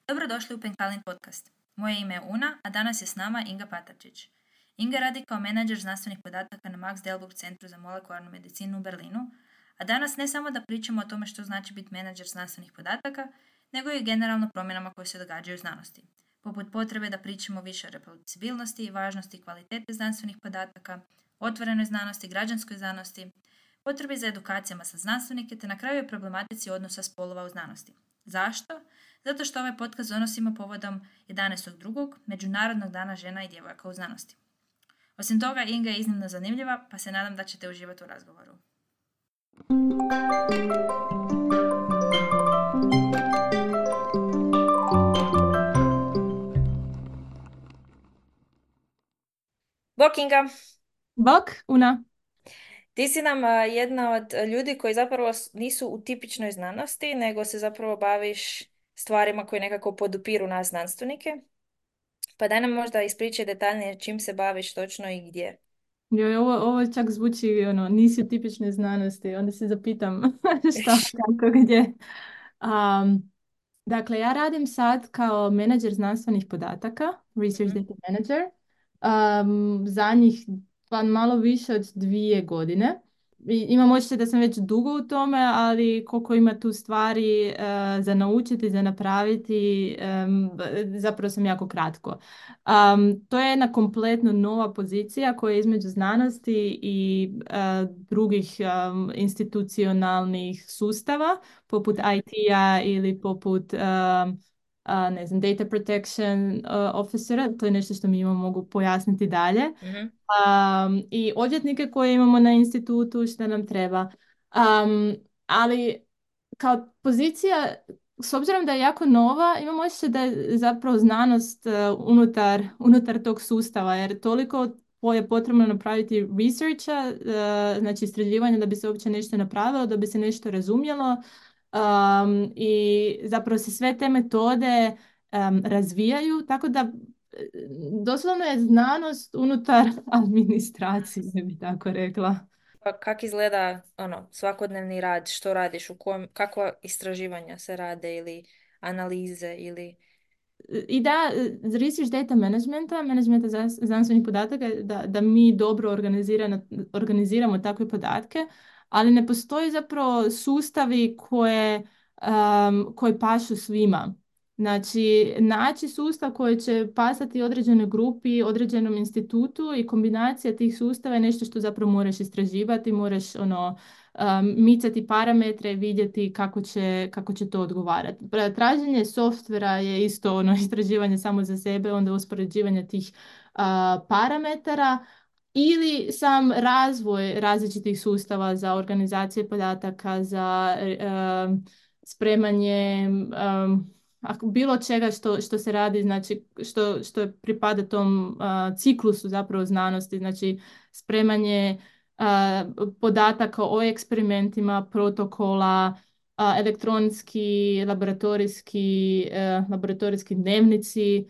Dobrodošli u Penkalin podcast. Moje ime je Una, a danas je s nama Inga Patarčić. Inga radi kao menadžer znanstvenih podataka na Max Delbrück centru za molekularnu medicinu u Berlinu, a danas ne samo da pričamo o tome što znači biti menadžer znanstvenih podataka, nego i generalno promjenama koje se događaju u znanosti, poput potrebe da pričamo više o reproducibilnosti, važnosti i kvalitete znanstvenih podataka, otvorenoj znanosti, građanskoj znanosti, potrebi za edukacijama sa znanstvenike te na kraju i problematici odnosa spolova u znanosti. Zašto? Zato što ovaj podcast donosimo povodom 11.2. Međunarodnog dana žena i djevojaka u znanosti. Osim toga, Inga je iznimno zanimljiva, pa se nadam da ćete uživati u razgovoru. Bok, Inga! Bok, Una. Ti si nam jedna od ljudi koji zapravo nisu u tipičnoj znanosti, nego se zapravo baviš stvarima koje nekako podupiru nas znanstvenike. Pa daj nam možda ispričaj detaljnije čim se baviš točno i gdje. Joj, ovo čak zvuči, nisi u tipičnoj znanosti. Onda se zapitam šta, kako, gdje. Um, dakle, ja radim sad kao menadžer znanstvenih podataka, Research Mhm. Data Manager, zadnjih pa malo više od 2 godine. Imam osjećaj da sam već dugo u tome, ali koliko ima tu stvari za naučiti, za napraviti, zapravo sam jako kratko. To je jedna kompletno nova pozicija koja je između znanosti i drugih institucionalnih sustava, poput IT-a ili poput ne znam, data protection officera. To je nešto što mi imamo, mogu pojasniti dalje. Mhm. I odvjetnike koje imamo na institutu, što nam treba. Ali kao pozicija, s obzirom da je jako nova, imamo osjećaj da je zapravo znanost unutar tog sustava, jer toliko je potrebno napraviti researcha, znači istraživanja da bi se uopće nešto napravilo, da bi se nešto razumjelo. I zapravo se sve te metode razvijaju, tako da doslovno je znanost unutar administracije, bi tako rekla. Pa kak izgleda svakodnevni rad, što radiš, kakva istraživanja se rade ili analize ili... I da, research data managementa znanstvenih podataka, da mi dobro organiziramo takve podatke, ali ne postoji zapravo sustavi koji pašu svima. Znači, naći sustav koji će pasati određenoj grupi, određenom institutu i kombinacija tih sustava je nešto što zapravo moraš istraživati, moraš micati parametre, vidjeti kako će to odgovarati. Traženje softvera je isto istraživanje samo za sebe, onda uspoređivanje tih parametara ili sam razvoj različitih sustava za organizacije podataka, za spremanje bilo čega što se radi, znači što pripada tom ciklusu zapravo znanosti, znači spremanje podataka o eksperimentima, protokola, elektronski, laboratorijski dnevnici.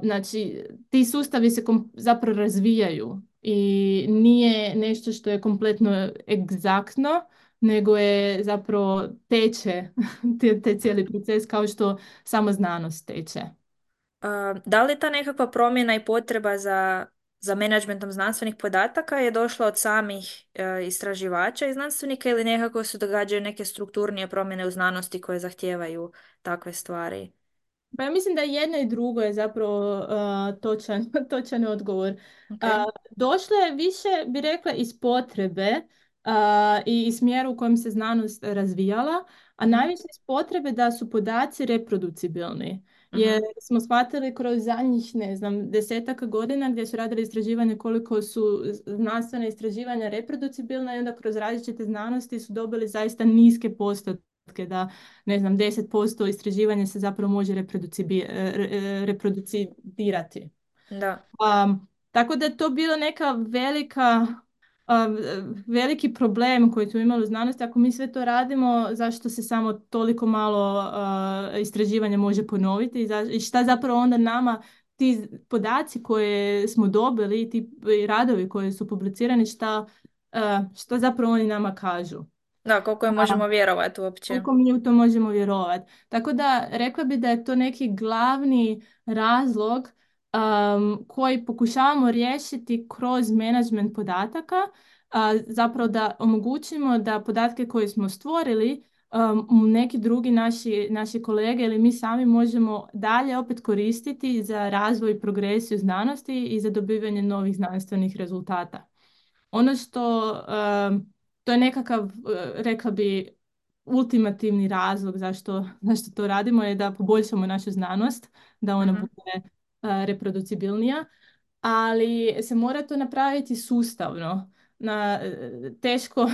Znači, ti sustavi se zapravo razvijaju i nije nešto što je kompletno egzaktno, nego je zapravo teče te cijeli proces kao što samo znanost teče. Da li ta nekakva promjena i potreba za menadžmentom znanstvenih podataka je došla od samih istraživača i znanstvenika ili nekako se događaju neke strukturnije promjene u znanosti koje zahtijevaju takve stvari? Pa ja mislim da jedno i drugo je zapravo točan odgovor. Ok. Došlo je više, bi rekla, iz potrebe i iz smjera u kojem se znanost razvijala, a Mhm. najviše iz potrebe da su podaci reproducibilni. Jer Mhm. smo shvatili kroz zadnjih, ne znam, 10-ak godina gdje su radili istraživanje koliko su znanstvene istraživanja reproducibilna i onda kroz različite znanosti su dobili zaista niske postotke da ne znam, 10% istraživanja se zapravo može reproducirati. Da. Tako da je to bilo neka veliki problem koji smo imali u znanosti. Ako mi sve to radimo, zašto se samo toliko malo istraživanja može ponoviti i šta zapravo onda nama ti podaci koje smo dobili i ti radovi koji su publicirani, šta zapravo oni nama kažu. Da, koliko je možemo vjerovati uopće. Koliko mi u to možemo vjerovati. Tako da rekla bi da je to neki glavni razlog koji pokušavamo riješiti kroz menadžment podataka, zapravo da omogućimo da podatke koje smo stvorili neki drugi naši kolege ili mi sami možemo dalje opet koristiti za razvoj i progresiju znanosti i za dobivanje novih znanstvenih rezultata. Ono što to je nekakav, rekla bi, ultimativni razlog zašto to radimo je da poboljšamo našu znanost, da ona Mhm. bude reproducibilnija, ali se mora to napraviti sustavno. Teško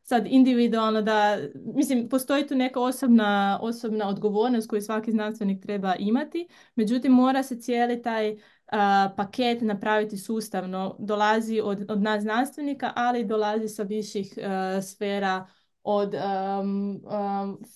sad individualno da, mislim, postoji tu neka osobna odgovornost koju svaki znanstvenik treba imati, međutim mora se cijeli taj paket napraviti sustavno. Dolazi od nas znanstvenika, ali dolazi sa viših sfera od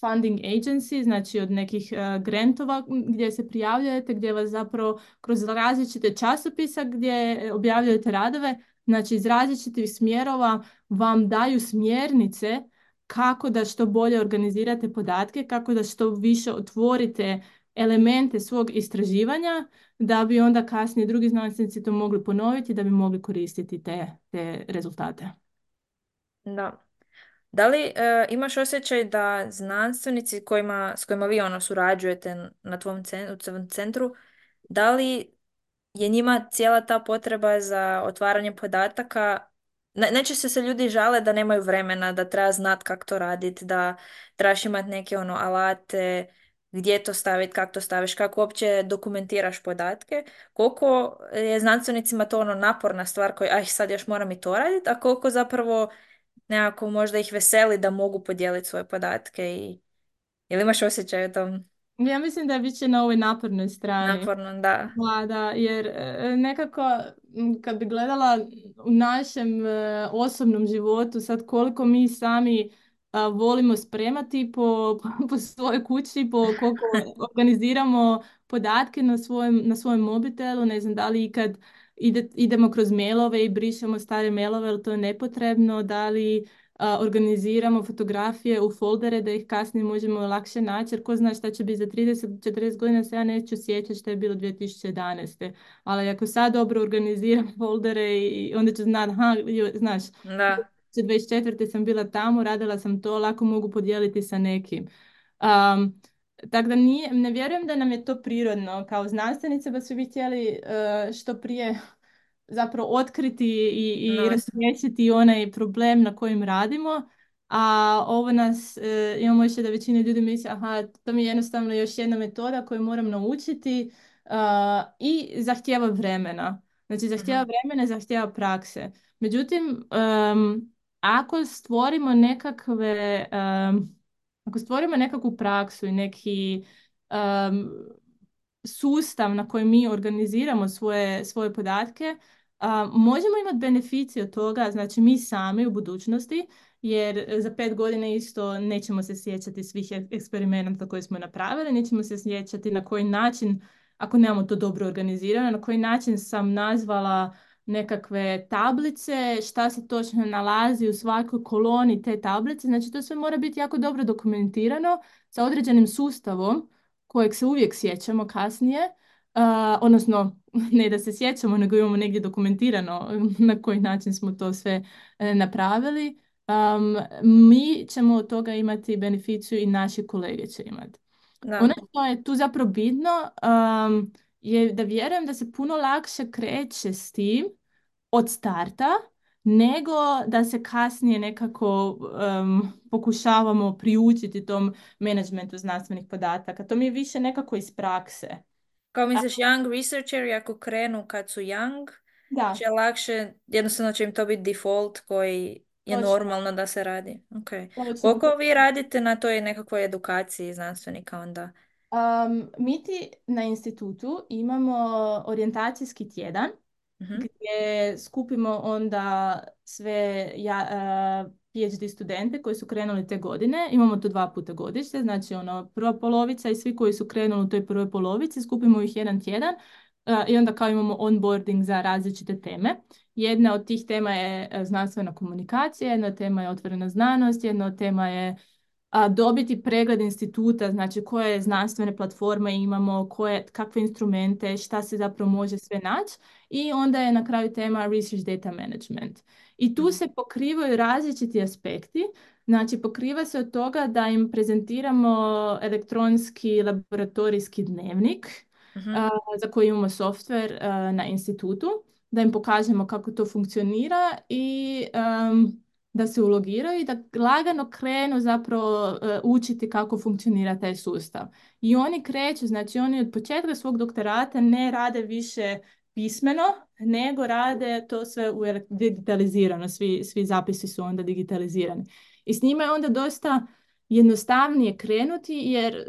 funding agency, znači od nekih grantova gdje se prijavljujete, gdje vas zapravo kroz različite časopisa gdje objavljujete radove, znači iz različitih smjerova vam daju smjernice kako da što bolje organizirate podatke, kako da što više otvorite elemente svog istraživanja, da bi onda kasnije drugi znanstvenici to mogli ponoviti, da bi mogli koristiti te rezultate. Da. Da li imaš osjećaj da znanstvenici s kojima vi ono surađujete na u tvom centru, da li je njima cijela ta potreba za otvaranje podataka, najčešće se ljudi žale da nemaju vremena, da treba znat kako to raditi, da trebaš imati neke ono alate, gdje to staviti, kako to staviš, kako uopće dokumentiraš podatke, koliko je znanstvenicima to ono naporna stvar koji, aj sad još moram i to raditi, a koliko zapravo nekako možda ih veseli da mogu podijeliti svoje podatke i ili imaš osjećaj o tom Ja mislim da je više na ovoj napornoj strani. napornom, da. Da, jer nekako kad bi gledala u našem osobnom životu sad koliko mi sami volimo spremati po svojoj kući, po koliko organiziramo podatke na svojem mobitelu, ne znam da li ikad idemo kroz mailove i brišemo stare mailove, ali to je nepotrebno, da li organiziramo fotografije u foldere da ih kasnije možemo lakše naći, jer ko zna šta će biti za 30-40 godina, se ja neću sjećati šta je bilo 2011. Ali ako sad dobro organiziram foldere i onda ću znati, aha, znaš, Da. 2024. sam bila tamo, radila sam to, lako mogu podijeliti sa nekim. Um, Tako da ne vjerujem da nam je to prirodno kao znanstvenice, da su bi htjeli što prije zapravo otkriti i No, razriješiti onaj problem na kojem radimo, a ovo nas, imamo još da većina ljudi misli, aha, to mi je jednostavno još jedna metoda koju moram naučiti i zahtijeva vremena. Znači, zahtijeva mhm, vremena, zahtijeva prakse. Međutim, ako stvorimo nekakve, ako stvorimo nekakvu praksu i neki sustav na koji mi organiziramo svoje podatke, možemo imati beneficije od toga, znači mi sami u budućnosti, jer za 5 godina isto nećemo se sjećati svih eksperimenata koje smo napravili, nećemo se sjećati na koji način, ako nemamo to dobro organizirano, na koji način sam nazvala nekakve tablice, šta se točno nalazi u svakoj koloni te tablice, znači to sve mora biti jako dobro dokumentirano sa određenim sustavom kojeg se uvijek sjećamo kasnije, odnosno ne da se sjećamo, nego imamo negdje dokumentirano na koji način smo to sve napravili. Mi ćemo od toga imati beneficiju i naši kolege će imati. Ono da. što je tu zapravo bitno je da vjerujem da se puno lakše kreće s tim od starta, nego da se kasnije nekako pokušavamo priučiti tom menadžmentu znanstvenih podataka. To mi je više nekako iz prakse. Kao A, misliš, young researcheri ako krenu kad su young, će da, lakše, jednostavno će im to biti default koji je točno, normalno da se radi. Okay. točno. Koliko vi radite na toj nekakvoj edukaciji znanstvenika onda? Mi ti na institutu imamo orijentacijski tjedan Mhm. gdje skupimo onda sve PhD studente koji su krenuli te godine. Imamo to 2 puta godišnje, znači ono prva polovica i svi koji su krenuli u toj prvoj polovici, skupimo ih jedan tjedan I onda kao imamo onboarding za različite teme. Jedna od tih tema je znanstvena komunikacija, jedna od tema je otvorena znanost, jedna od tema je dobiti pregled instituta, znači koje znanstvene platforme imamo, kakve instrumente, šta se zapravo može sve naći. I onda je na kraju tema Research Data Management. I tu Mhm. se pokrivaju različiti aspekti. Znači, pokriva se od toga da im prezentiramo elektronski laboratorijski dnevnik, Mhm. za koji imamo softver na institutu, da im pokažemo kako to funkcionira i da se ulogiraju i da lagano krenu zapravo učiti kako funkcionira taj sustav. I oni kreću, znači oni od početka svog doktorata ne rade više pismeno, nego rade to sve digitalizirano, svi zapisi su onda digitalizirani. I s njima je onda dosta jednostavnije krenuti jer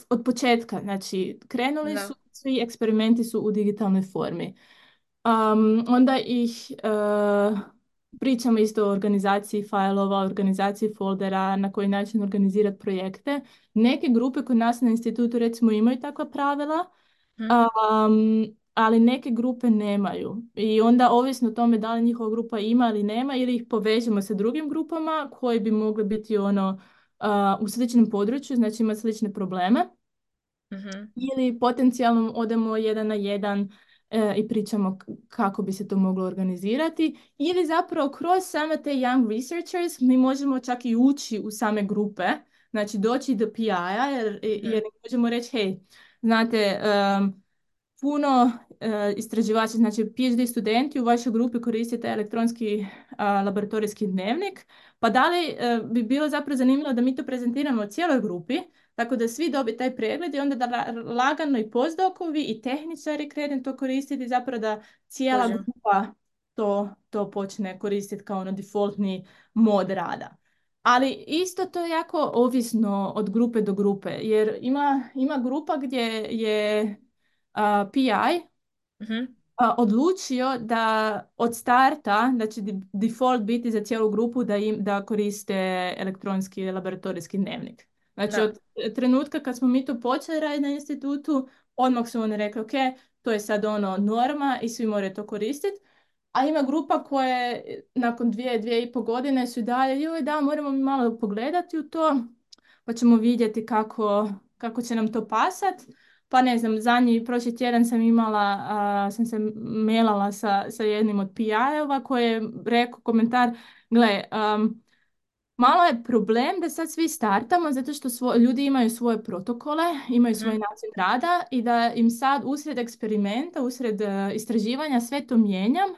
od početka, znači krenuli su, Da. svi eksperimenti su u digitalnoj formi. Onda ih pričamo isto o organizaciji fajlova, organizaciji foldera, na koji način organizirati projekte. Neke grupe kod nas na institutu recimo imaju takva pravila, Mhm. ali neke grupe nemaju. I onda ovisno o tome da li njihova grupa ima ili nema, ili ih povežemo sa drugim grupama koji bi mogli biti ono u sličnom području, znači imati slične probleme. Mhm. Ili potencijalno odemo jedan na jedan i pričamo kako bi se to moglo organizirati. Ili zapravo kroz same te young researchers mi možemo čak i ući u same grupe, znači doći do PI-a jer Mhm. im možemo reći, hej, znate, puno istraživača, znači PhD studenti u vašoj grupi koriste taj elektronski laboratorijski dnevnik, pa da li bi bilo zapravo zanimljivo da mi to prezentiramo cijeloj grupi, tako da svi dobiju taj pregled i onda da lagano i postdokovi i tehničari krenu to koristiti, zapravo da cijela Kužim. grupa to počne koristiti kao ono defaultni mod rada. Ali isto to je jako ovisno od grupe do grupe, jer ima grupa gdje je PI Mhm. odlučio da od starta, da će default biti za cijelu grupu da koriste elektronski laboratorijski dnevnik. Znači Da. od trenutka kad smo mi to počeli raditi na institutu, odmah su oni rekli, ok, to je sad ono norma i svi moraju to koristiti. A ima grupa koje nakon 2, 2,5 godine su i dalje, joj da, moramo mi malo pogledati u to, pa ćemo vidjeti kako će nam to pasat. Pa ne znam, prošli tjedan sam imala, sam se mailala sa jednim od PI-eva koji je rekao komentar, gle, malo je problem da sad svi startamo zato što ljudi imaju svoje protokole, imaju svoj Mhm. način rada i da im sad usred eksperimenta, usred istraživanja sve to mijenjam,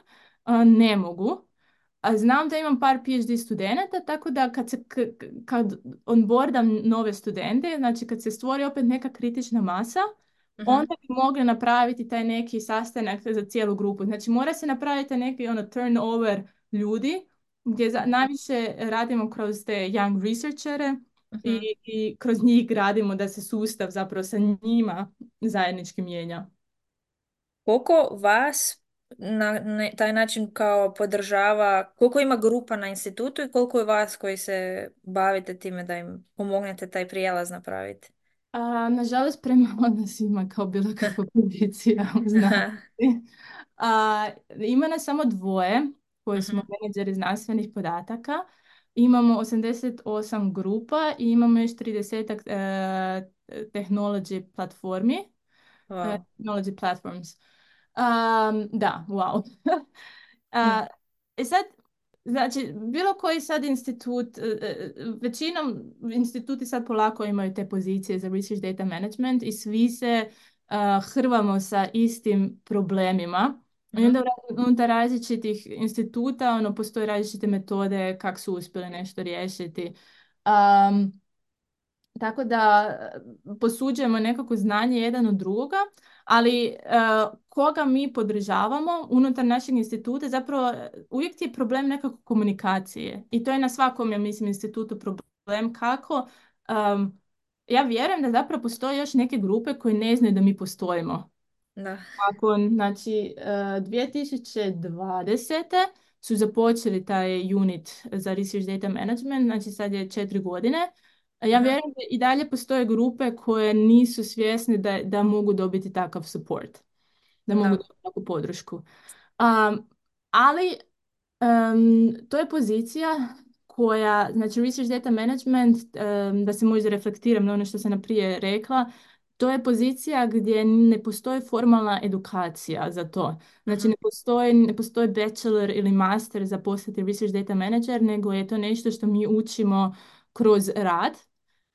ne mogu. A znam da imam par PhD studenata, tako da kad onboardam nove studente, znači kad se stvori opet neka kritična masa, Mhm. onda bi mogli napraviti taj neki sastanak za cijelu grupu. Znači mora se napraviti neki ono turnover ljudi gdje najviše radimo kroz te young researchere i, Mhm. i kroz njih gradimo da se sustav zapravo sa njima zajednički mijenja. Koliko vas na taj način kao podržava, koliko ima grupa na institutu i koliko je vas koji se bavite time da im pomognete taj prijelaz napraviti? Nažalost, premalo nas ima kao bilo kakva pozicija u znanosti. Ima nas samo dvoje koji smo Mhm. menadžeri znanstvenih podataka. Imamo 88 grupa i imamo još 30 technology platformi. Wow. Technology platforms. Da, wow. Hm. A, sad, znači, bilo koji sad institut, većinom instituti sad polako imaju te pozicije za research data management i svi se hrvamo sa istim problemima. I onda Mhm. unutar različitih instituta ono, postoje različite metode kako su uspjeli nešto riješiti. Tako da posuđujemo nekako znanje jedan od drugoga, ali koga mi podržavamo unutar našeg instituta, zapravo uvijek ti je problem nekako komunikacije. I to je na svakom, ja mislim, institutu problem kako. Ja vjerujem da zapravo postoje još neke grupe koje ne znaju da mi postojimo. Da. Znači, 2020. su započeli taj unit za Research Data Management, znači sad je 4 godine. Ja Mhm. vjerujem da i dalje postoje grupe koje nisu svjesne da mogu dobiti takav support. da mogu Da. dobiti takvu podršku. Ali to je pozicija koja, znači Research Data Management, da se možda reflektiram na ono što sam naprije rekla, to je pozicija gdje ne postoji formalna edukacija za to. Znači Mhm. ne postoji bachelor ili master za postati Research Data Manager, nego je to nešto što mi učimo kroz rad.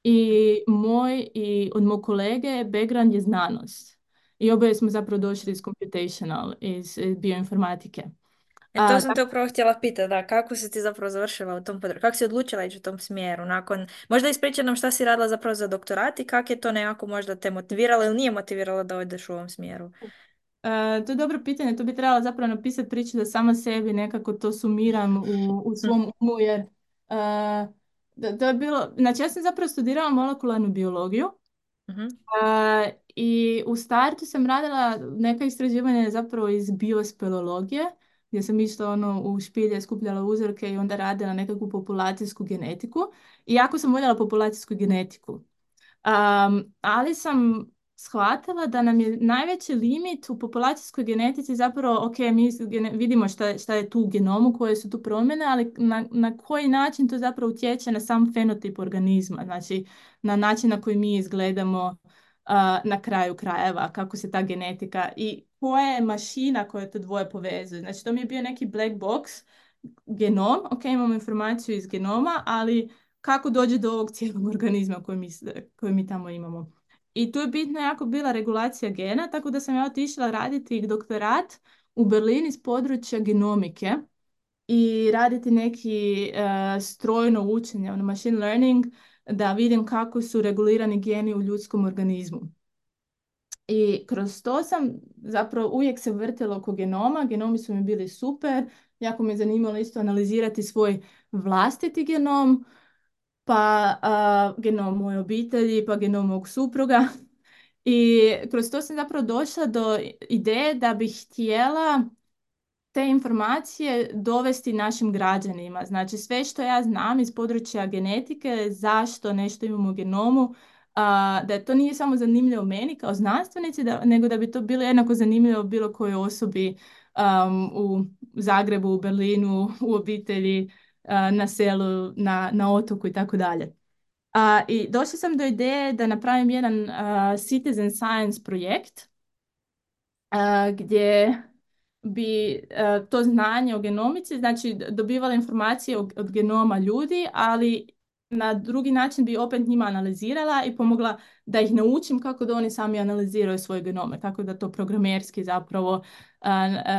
I moj i od mog kolege background je znanost. I oboje smo zapravo došli iz computational, iz bioinformatike. To A, sam te upravo htjela pitati, da, kako si ti zapravo završila u tom području, kako si odlučila ići u tom smjeru, nakon, možda ispričaj nam šta si radila zapravo za doktorat i kako je to nekako možda te motiviralo ili nije motiviralo da odeš u ovom smjeru. To je dobro pitanje, to bi trebala zapravo napisati priču da sama sebi nekako to sumiram u Hm. svom umu, jer to je bilo, znači ja sam zapravo studirala molekularnu biologiju. Mhm. I u startu sam radila neka istraživanja zapravo iz biospeleologije, gdje sam išla ono u špilje, skupljala uzorke i onda radila nekakvu populacijsku genetiku. I jako sam voljela populacijsku genetiku. Ali sam shvatila da nam je najveći limit u populacijskoj genetici zapravo, ok, mi vidimo šta je tu u genomu, koje su tu promjene, ali na koji način to zapravo utječe na sam fenotip organizma, znači na način na koji mi izgledamo na kraju krajeva, kako se ta genetika i koja je mašina koja to dvoje povezuje. Znači to mi je bio neki black box, genom, ok, imamo informaciju iz genoma, ali kako dođe do ovog cijelog organizma koji mi tamo imamo. I tu je bitna jako bila regulacija gena, tako da sam ja otišla raditi doktorat u Berlin iz područja genomike i raditi neki strojno učenje, ono machine learning, da vidim kako su regulirani geni u ljudskom organizmu. I kroz to sam zapravo uvijek se vrtila oko genoma, genomi su mi bili super, jako me je zanimalo isto analizirati svoj vlastiti genom, pa genom moje obitelji, pa genom mog supruga. I kroz to sam zapravo došla do ideje da bih htjela te informacije dovesti našim građanima. Znači sve što ja znam iz područja genetike, zašto nešto imamo u genomu, da to nije samo zanimljivo meni kao znanstvenici, nego da bi to bilo jednako zanimljivo bilo kojoj osobi u Zagrebu, u Berlinu, u obitelji, na selu, na otoku i tako dalje. I došla sam do ideje da napravim jedan citizen science projekt gdje bi to znanje o genomici, znači dobivala informacije od genoma ljudi, ali na drugi način bi opet njima analizirala i pomogla da ih naučim kako da oni sami analiziraju svoje genome, kako da to programerski zapravo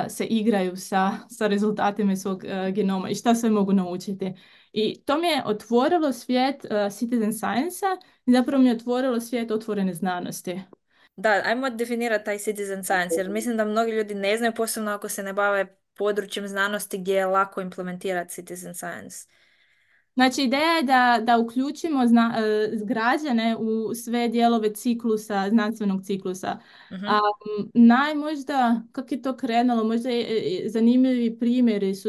se igraju sa rezultatima iz svog genoma i šta sve mogu naučiti. I to mi je otvorilo svijet citizen science-a i zapravo mi je otvorilo svijet otvorene znanosti. Da, ajmo definirati taj citizen science, jer mislim da mnogi ljudi ne znaju, posebno ako se ne bave područjem znanosti gdje je lako implementirati citizen science. Znači, ideja je da uključimo građane u sve dijelove ciklusa, znanstvenog ciklusa. A, Mhm. možda, kako je to krenulo, možda zanimljivi primjeri su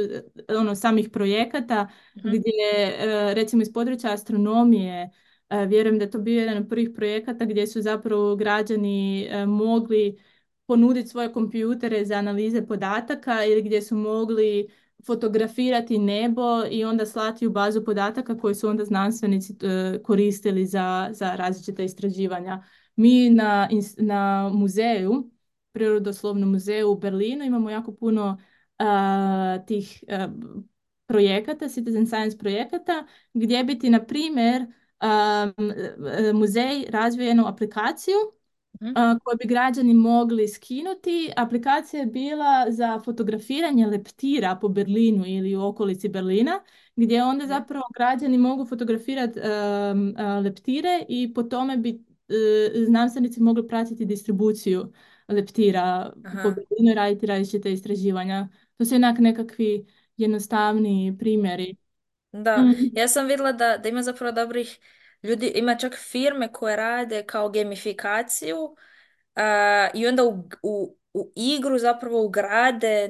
ono, samih projekata Mhm. gdje, recimo iz područja astronomije, vjerujem da je to bio jedan od prvih projekata gdje su zapravo građani mogli ponuditi svoje kompjutere za analize podataka ili gdje su mogli fotografirati nebo i onda slati u bazu podataka koje su onda znanstvenici koristili za različita istraživanja. Mi na muzeju, Prirodoslovnom muzeju u Berlinu imamo jako puno tih projekata, citizen science projekata, gdje bi ti, na primjer, muzej razvio jednu aplikaciju Mhm. koje bi građani mogli skinuti. Aplikacija je bila za fotografiranje leptira po Berlinu ili u okolici Berlina, gdje onda Mhm. zapravo građani mogu fotografirati leptire i po tome bi znanstvenici mogli pratiti distribuciju leptira po Aha. Berlinu i raditi različite istraživanja. To su jednak nekakvi jednostavni primjeri. Da, Mm. ja sam vidjela da ima zapravo dobrih ljudi, ima čak firme koje rade kao gamifikaciju i onda u igru zapravo ugrade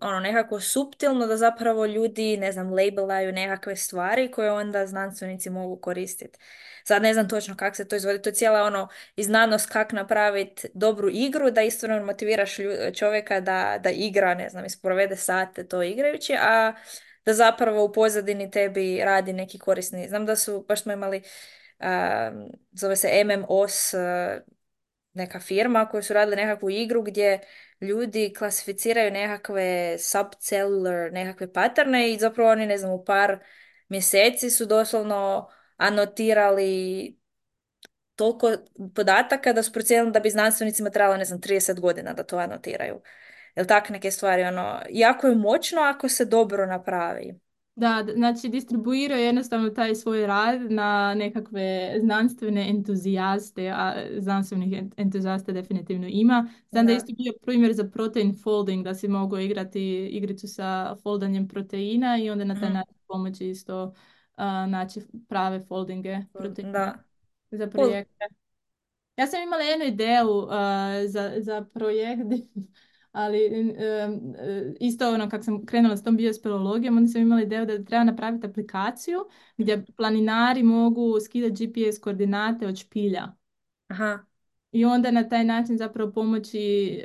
ono nekako suptilno da zapravo ljudi, ne znam, labelaju nekakve stvari koje onda znanstvenici mogu koristiti. Sad ne znam točno kako se to izvodi, to je cijela ono i znanost kako napraviti dobru igru da isto motiviraš čovjeka da igra, ne znam, isprovede sate to igrajući, a da zapravo u pozadini tebi radi neki korisni. Znam da su, baš smo imali, zove se MMOS, neka firma koji su radili nekakvu igru gdje ljudi klasificiraju nekakve subcellular, nekakve paterne i zapravo oni, ne znam, u par mjeseci su doslovno anotirali toliko podataka da su procijenili da bi znanstvenicima trebalo, ne znam, 30 godina da to anotiraju. Jel tak neke stvari, ono, jako je moćno ako se dobro napravi. Da, znači distribuiraju jednostavno taj svoj rad na nekakve znanstvene entuzijaste, a znanstvenih entuzijasta definitivno ima. Znam da je Da. isto bio primjer za protein folding, da si mogu igrati igricu sa foldanjem proteina i onda na taj Mhm. način pomoći isto naći prave foldinge proteina Da. za Cool. projekte. Ja sam imala jednu ideju za projekt, ali isto ono kako sam krenula s tom biospeleologijom, onda sam imala ideju da treba napraviti aplikaciju gdje planinari mogu skidati GPS koordinate od špilja. Aha. I onda na taj način zapravo pomoći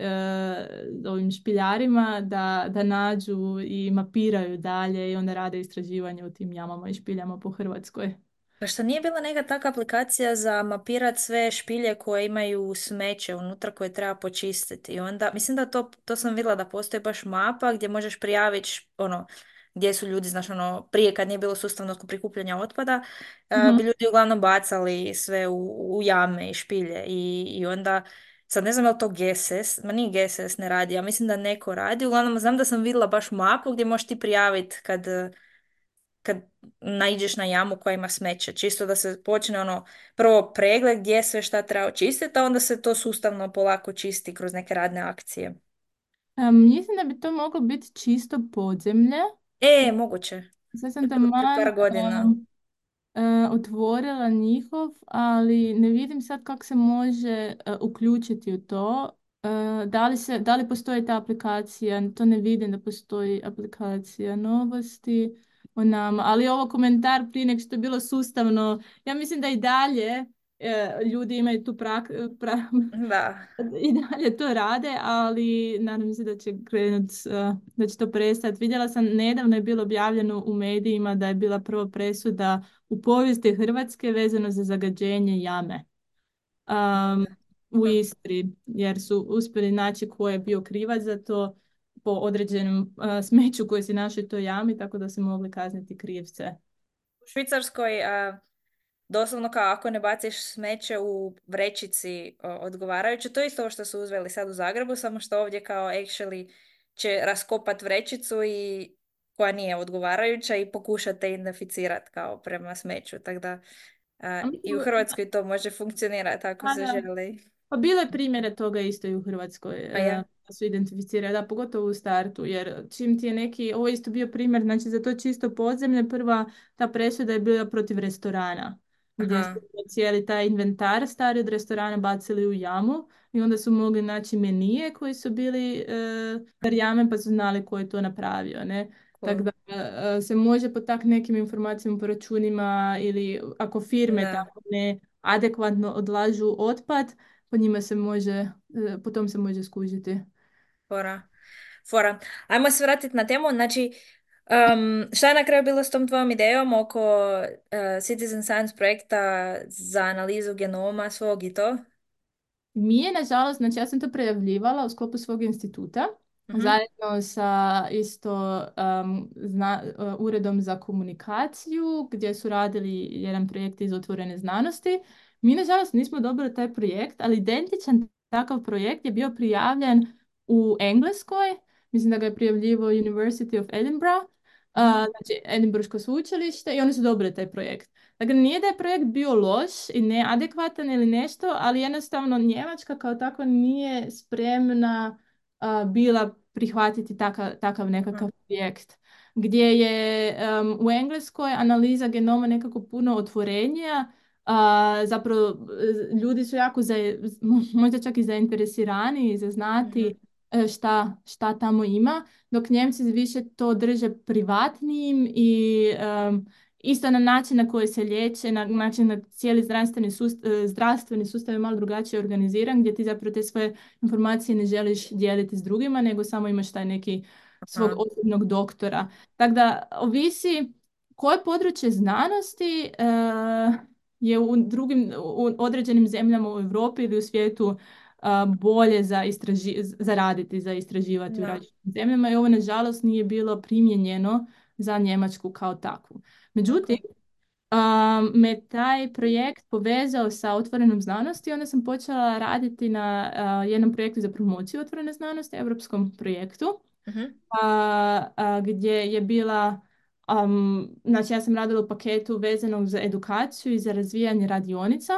ovim špiljarima da nađu i mapiraju dalje i onda rade istraživanje u tim jamama i špiljama po Hrvatskoj. Pa što nije bila neka takva aplikacija za mapirat sve špilje koje imaju smeće unutra koje treba počistiti. I onda, mislim da to sam vidjela da postoji baš mapa gdje možeš prijaviti ono, gdje su ljudi, znaš, ono, prije kad nije bilo sustavnog prikupljanja otpada, bi Mhm. ljudi uglavnom bacali sve u jame i špilje. I onda, sad ne znam je li to GSS, ma nije GSS ne radi, ja mislim da neko radi. Uglavnom, znam da sam vidjela baš mapu gdje možeš ti prijaviti kad naiđeš na jamu koja ima smeće. Čisto da se počne ono prvo pregled gdje sve šta treba očistiti, a onda se to sustavno polako čisti kroz neke radne akcije. Mislim da bi to moglo biti čisto podzemlje. Moguće. Sad To sam je bilo prije taman par godina. otvorila njihov, ali ne vidim sad kako se može uključiti u to. Da li postoji ta aplikacija? To ne vidim da postoji aplikacija novosti o nama. Ali ovo komentar prije nego što je bilo sustavno, ja mislim da i dalje ljudi imaju tu Da, i dalje to rade, ali nadam se da će krenut, da će to prestati. Vidjela sam, nedavno je bilo objavljeno u medijima da je bila prva presuda u povijesti Hrvatske vezano za zagađenje jame u Istri, jer su uspjeli naći ko je bio krivac za to po određenom smeću koje se našli u toj jami, tako da se mogli kazniti krivce. u Švicarskoj doslovno kao ako ne baciš smeće u vrećici odgovarajuće, to je isto ovo što su uzeli sad u Zagrebu, samo što ovdje kao actually će raskopat vrećicu i koja nije odgovarajuća i pokušate identificirati kao prema smeću. Tako da A i u mislim, Hrvatskoj to može funkcionirati ako se da. želi. Pa bilo je primjere toga isto i u Hrvatskoj, A ja? da su identificirali, da, pogotovo u startu, jer čim ti je neki, ovo je isto bio primjer, znači za to čisto podzemlje, prva ta presuda je bila protiv restorana, gdje su Aha, cijeli taj inventar stari od restorana bacili u jamu i onda su mogli naći menije koji su bili jame pa su znali ko je to napravio, ne? Tako cool. da se može po tak nekim informacijama po računima ili ako firme Da, tako ne adekvatno odlažu otpad, po njima se može, po tom se može skužiti. fora. Fora. Ajmo se vratiti na temu. Znači, šta je na kraju bilo s tom tvojom idejom oko Citizen Science projekta za analizu genoma svog i to? Mi je, nažalost, znači ja sam to prijavljivala u sklopu svog instituta, Mhm. zajedno sa isto uredom za komunikaciju, gdje su radili jedan projekt iz otvorene znanosti. Mi, nažalost, nismo dobili taj projekt, ali identičan takav projekt je bio prijavljen u Engleskoj. Mislim da ga je prijavljivo University of Edinburgh, Mhm. znači Edinburško sveučilište, i oni su dobili taj projekt. Dakle, nije da je projekt bio loš i neadekvatan ili nešto, ali jednostavno Njemačka kao takva nije spremna bila prihvatiti takav nekakav Mhm. projekt. Gdje je u Engleskoj analiza genoma nekako puno otvorenija, Zapravo, ljudi su jako možda čak i zainteresirani za znati Mhm. šta tamo ima, dok Njemci više to drže privatnijim i isto na način na koji se liječe, na način na cijeli zdravstveni sustav je malo drugačije organiziran, gdje ti zapravo te svoje informacije ne želiš dijeliti s drugima, nego samo imaš taj neki svog Aha. osobnog doktora. Tako da ovisi koje područje znanosti je u u određenim zemljama u Europi ili u svijetu bolje za raditi, za istraživati u Da. različitim zemljama i ovo nažalost nije bilo primijenjeno za Njemačku kao takvu. Međutim, Ok. me taj projekt povezao sa otvorenom znanosti, onda sam počela raditi na jednom projektu za promociju otvorene znanosti, europskom projektu Mhm. gdje je bila, znači ja sam radila u paketu vezanog za edukaciju i za razvijanje radionica.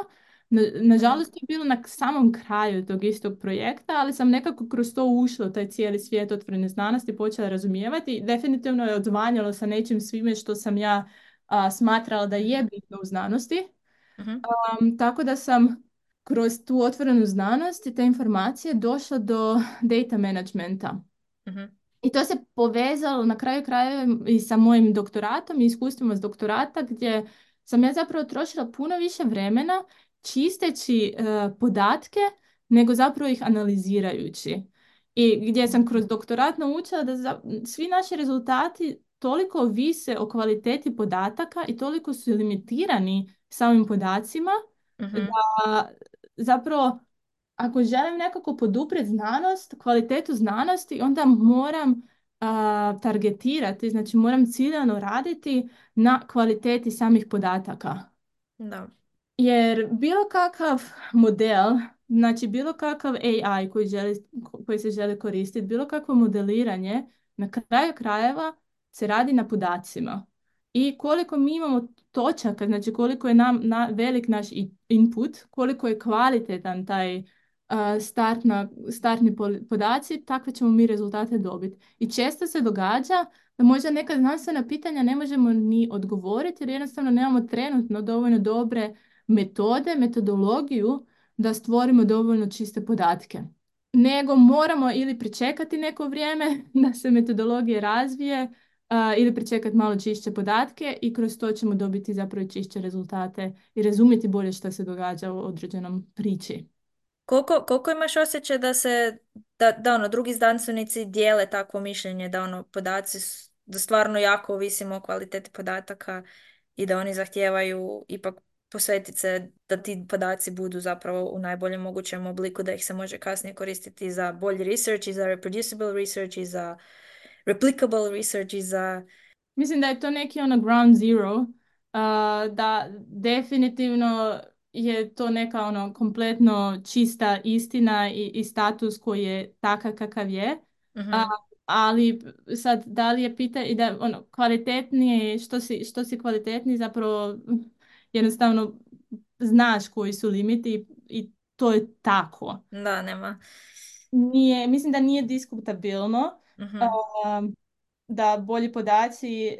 Mhm. Nažalost je bilo na samom kraju tog istog projekta, ali sam nekako kroz to ušla u taj cijeli svijet otvorene znanosti, počela razumijevati i definitivno je odzvanjalo sa nečim svime što sam ja smatrala da je Mhm. bitno u znanosti. Mhm. Tako da sam kroz tu otvorenu znanost i te informacije došla do data managementa. Mhm. I to se povezalo na kraju krajeva i sa mojim doktoratom i iskustvima s doktorata gdje sam ja zapravo trošila puno više vremena čisteći podatke nego zapravo ih analizirajući. I gdje sam kroz doktorat naučila da svi naši rezultati toliko vise o kvaliteti podataka i toliko su limitirani samim podacima Mhm. da zapravo ako želim nekako poduprijeti znanost, kvalitetu znanosti, onda moram targetirati, znači moram ciljano raditi na kvaliteti samih podataka. Da. Jer bilo kakav model, znači bilo kakav AI koji se želi koristiti, bilo kakvo modeliranje, na kraju krajeva se radi na podacima. I koliko mi imamo točaka, znači koliko je velik naš input, koliko je kvalitetan taj startni podaci, takve ćemo mi rezultate dobiti. I često se događa da možda neka znanstvena pitanja ne možemo ni odgovoriti jer jednostavno nemamo trenutno dovoljno dobre metodologiju da stvorimo dovoljno čiste podatke. Nego moramo ili pričekati neko vrijeme da se metodologija razvije ili pričekati malo čišće podatke i kroz to ćemo dobiti zapravo i čišće rezultate i razumjeti bolje što se događa u određenom priči. Koliko imaš osjećaj da ono, drugi znanstvenici dijele takvo mišljenje da ono, da stvarno jako ovisimo o kvaliteti podataka i da oni zahtijevaju ipak posvetiti se da ti podaci budu zapravo u najboljem mogućem obliku, da ih se može kasnije koristiti za bolji research i za reproducible research i za replicable research i za... Mislim da je to neki ono ground zero, da definitivno je to neka ono kompletno čista istina i status koji je takav kakav je. A, Mhm. ali sad da li je i da ono kvalitetnije, što si kvalitetniji zapravo jednostavno znaš koji su limiti i to je tako. Da, nema. Mislim da nije diskutabilno Mhm. da bolji podaci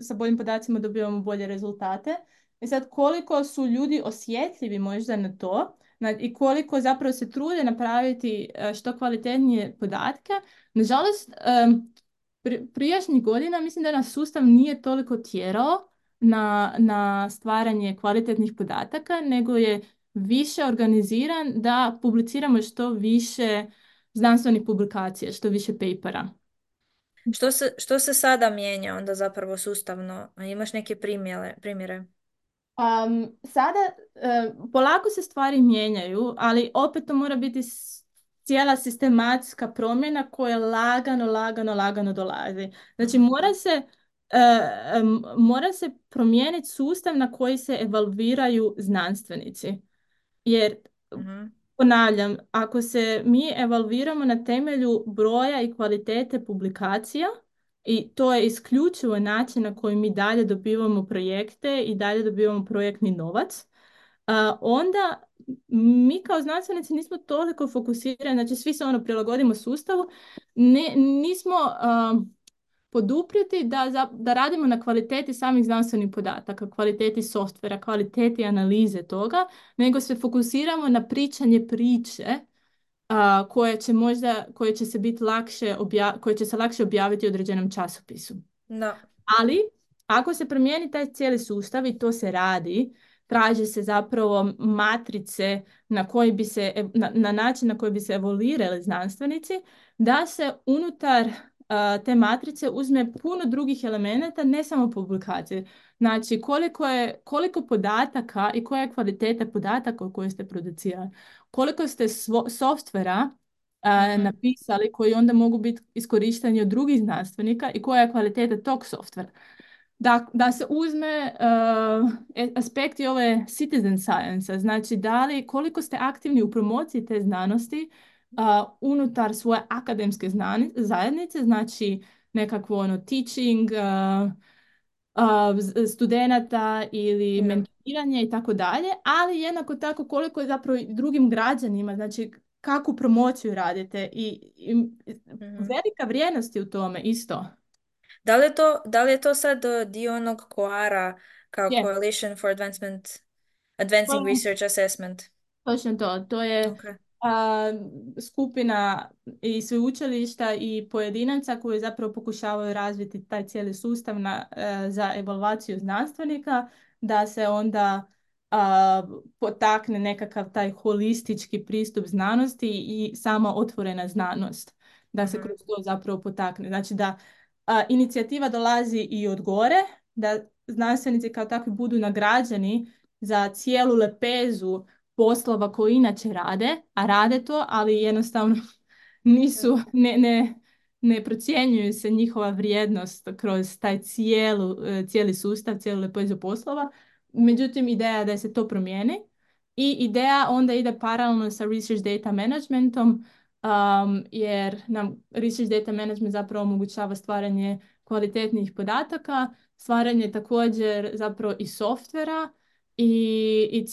sa boljim podacima dobivamo bolje rezultate. I sad koliko su ljudi osjetljivi možda na to i koliko zapravo se trude napraviti što kvalitetnije podatke. Nažalost, prijašnjih godina mislim da nas sustav nije toliko tjerao na stvaranje kvalitetnih podataka, nego je više organiziran da publiciramo što više znanstvenih publikacija, što više papera. Što se sada mijenja onda zapravo sustavno? A imaš neke primjere? Sada polako se stvari mijenjaju, ali opet to mora biti cijela sistematska promjena koja lagano dolazi. Znači Mhm. mora se promijeniti sustav na koji se evalviraju znanstvenici. Jer Mhm. ponavljam, ako se mi evalviramo na temelju broja i kvalitete publikacija, i to je isključivo način na koji mi dalje dobivamo projekte i dalje dobivamo projektni novac, onda mi kao znanstvenici nismo toliko fokusirani, znači svi se ono prilagodimo sustavu, nismo poduprijeti da radimo na kvaliteti samih znanstvenih podataka, kvaliteti softvera, kvaliteti analize toga, nego se fokusiramo na pričanje priče koje će se biti koje će se lakše objaviti u određenom časopisu. Da. Ali, ako se promijeni taj cijeli sustav i to se radi, traže se zapravo matrice na način na koji bi se evoluirali znanstvenici, da se unutar te matrice uzme puno drugih elemenata, ne samo publikacije. Znači, koliko podataka i koja je kvaliteta podataka koje ste producirali. Koliko ste softvera Mhm. napisali koji onda mogu biti iskorišteni od drugih znanstvenika i koja je kvaliteta tog softvera. Da se uzme aspekti ove citizen science, znači koliko ste aktivni u promociji te znanosti unutar svoje akademske zajednice, znači nekakvo teaching studenata ili Da. mentoriranje i tako dalje, ali jednako tako koliko je zapravo i drugim građanima, znači kakvu promociju radite i Mhm. velika vrijednost je u tome isto. Da li je to sad dio onog koara kao Je. Coalition for To Advancing je Research Assessment? točno to. To je Ok. a, skupina i sveučilišta i pojedinaca koji zapravo pokušavaju razviti taj cijeli sustav za evaluaciju znanstvenika, da se onda potakne nekakav taj holistički pristup znanosti i sama otvorena znanost. Da se Mhm. kroz to zapravo potakne. Znači da inicijativa dolazi i od gore, da znanstvenici kao takvi budu nagrađeni za cijelu lepezu poslova koji inače rade, a rade to, ali jednostavno nisu, ne procjenjuju se njihova vrijednost kroz taj cijeli sustav, cijelu lepezu poslova. Međutim, ideja je da se to promijeni i ideja onda ide paralelno sa research data managementom, jer nam research data management zapravo omogućava stvaranje kvalitetnih podataka, stvaranje također zapravo i softvera i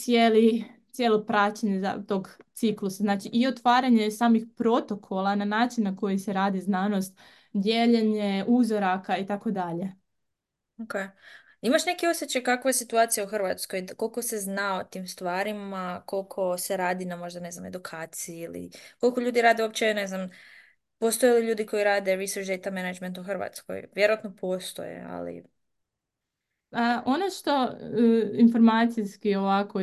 cijelo praćenje tog ciklusa. Znači i otvaranje samih protokola na način na koji se radi znanost, dijeljenje uzoraka i tako dalje. Ok. Imaš neki osjećaj kakva je situacija u Hrvatskoj? Koliko se zna o tim stvarima, koliko se radi na možda, ne znam, edukaciji ili koliko ljudi rade uopće, ne znam, postoje li ljudi koji rade research data management u Hrvatskoj? Vjerojatno postoje, ali... Ono što informacijski ovako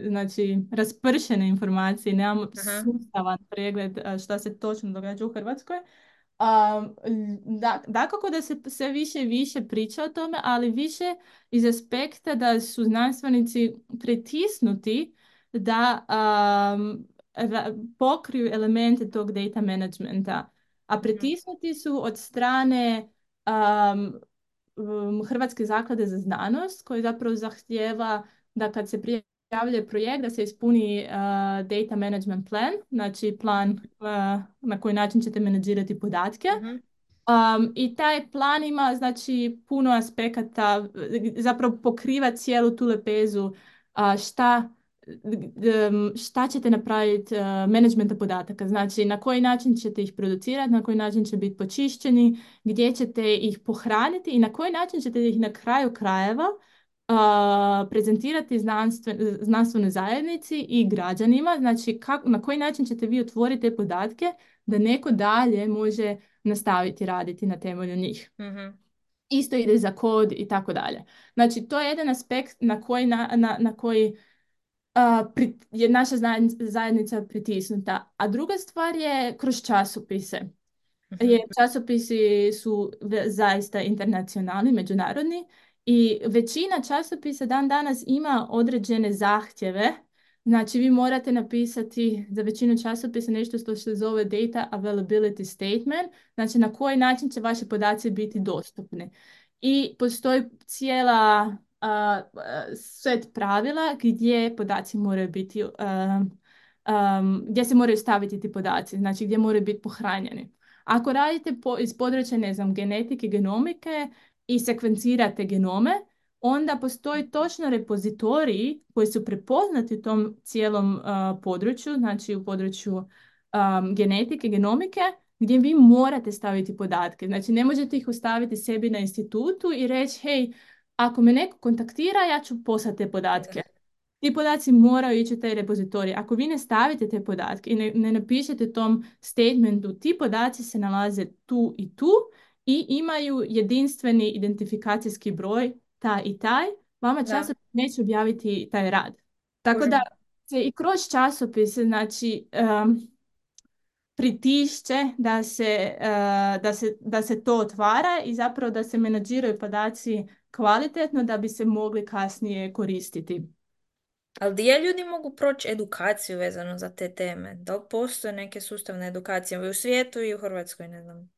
znači raspršene informacije, nemamo Aha. sustavan pregled šta se točno događa u Hrvatskoj. Dakako da se sve više i više priča o tome, ali više iz aspekta da su znanstvenici pritisnuti da pokriju elemente tog data managementa. A Mhm. pritisnuti su od strane Hrvatske zaklade za znanost koji zapravo zahtijeva da kad se prijavljuje projekt da se ispuni data management plan, znači plan na koji način ćete menadžirati podatke. Mhm. I taj plan ima znači puno aspekata, zapravo pokriva cijelu tu lepezu šta ćete napraviti menadžmenta podataka, znači na koji način ćete ih producirati, na koji način će biti počišćeni, gdje ćete ih pohraniti i na koji način ćete ih na kraju krajeva prezentirati znanstvenoj zajednici i građanima, znači na koji način ćete vi otvoriti te podatke da neko dalje može nastaviti raditi na temelju njih. Mhm. Isto ide za kod i tako dalje. Znači, to je jedan aspekt na koji je naša zajednica pritisnuta. A druga stvar je kroz časopise. Jer Mhm. časopisi su zaista internacionalni, međunarodni i većina časopisa dan danas ima određene zahtjeve. Znači vi morate napisati za većinu časopisa nešto što se zove Data Availability Statement, znači na koji način će vaši podaci biti dostupni. I postoji cijela set pravila gdje podaci moraju biti, gdje se moraju staviti ti podaci, znači gdje moraju biti pohranjeni. Ako radite iz područja, ne znam, genetike, genomike i sekvencirate genome, onda postoji točno repozitoriji koji su prepoznati u tom cijelom području, znači u području genetike, genomike, gdje vi morate staviti podatke. Znači, ne možete ih ostaviti sebi na institutu i reći, hej, ako me neko kontaktira, ja ću poslati te podatke. Da. Ti podaci moraju ići u taj repozitorij. Ako vi ne stavite te podatke i ne napišete tom statementu, ti podaci se nalaze tu i tu i imaju jedinstveni identifikacijski broj, taj i taj, vama Da, časopis neće objaviti taj rad. Tako da kužim. se i kroz časopise, znači, pritišće da se to otvara i zapravo da se menadžiraju podaci kvalitetno da bi se mogli kasnije koristiti. Ali gdje ljudi mogu proći edukaciju vezano za te teme? Da li postoje neke sustavne edukacije i u svijetu i u Hrvatskoj, ne znam.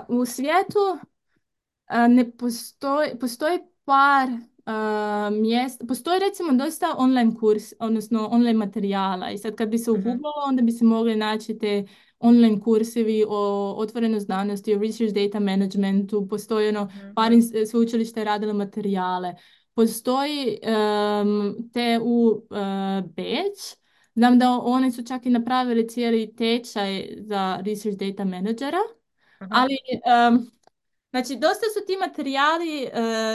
U svijetu ne postoji par mjesta, postoji recimo dosta online kurs, odnosno online materijala i sad kad bi se Mhm, uguglalo onda bi se mogli naći te online kursevi o otvorenoj znanosti, o research data managementu, postoji mhm, par da. sveučilišta je radilo materijale. Postoji TU Beč, znam da oni su čak i napravili cijeli tečaj za research data menadžera, Aha, ali znači, dosta su ti materijali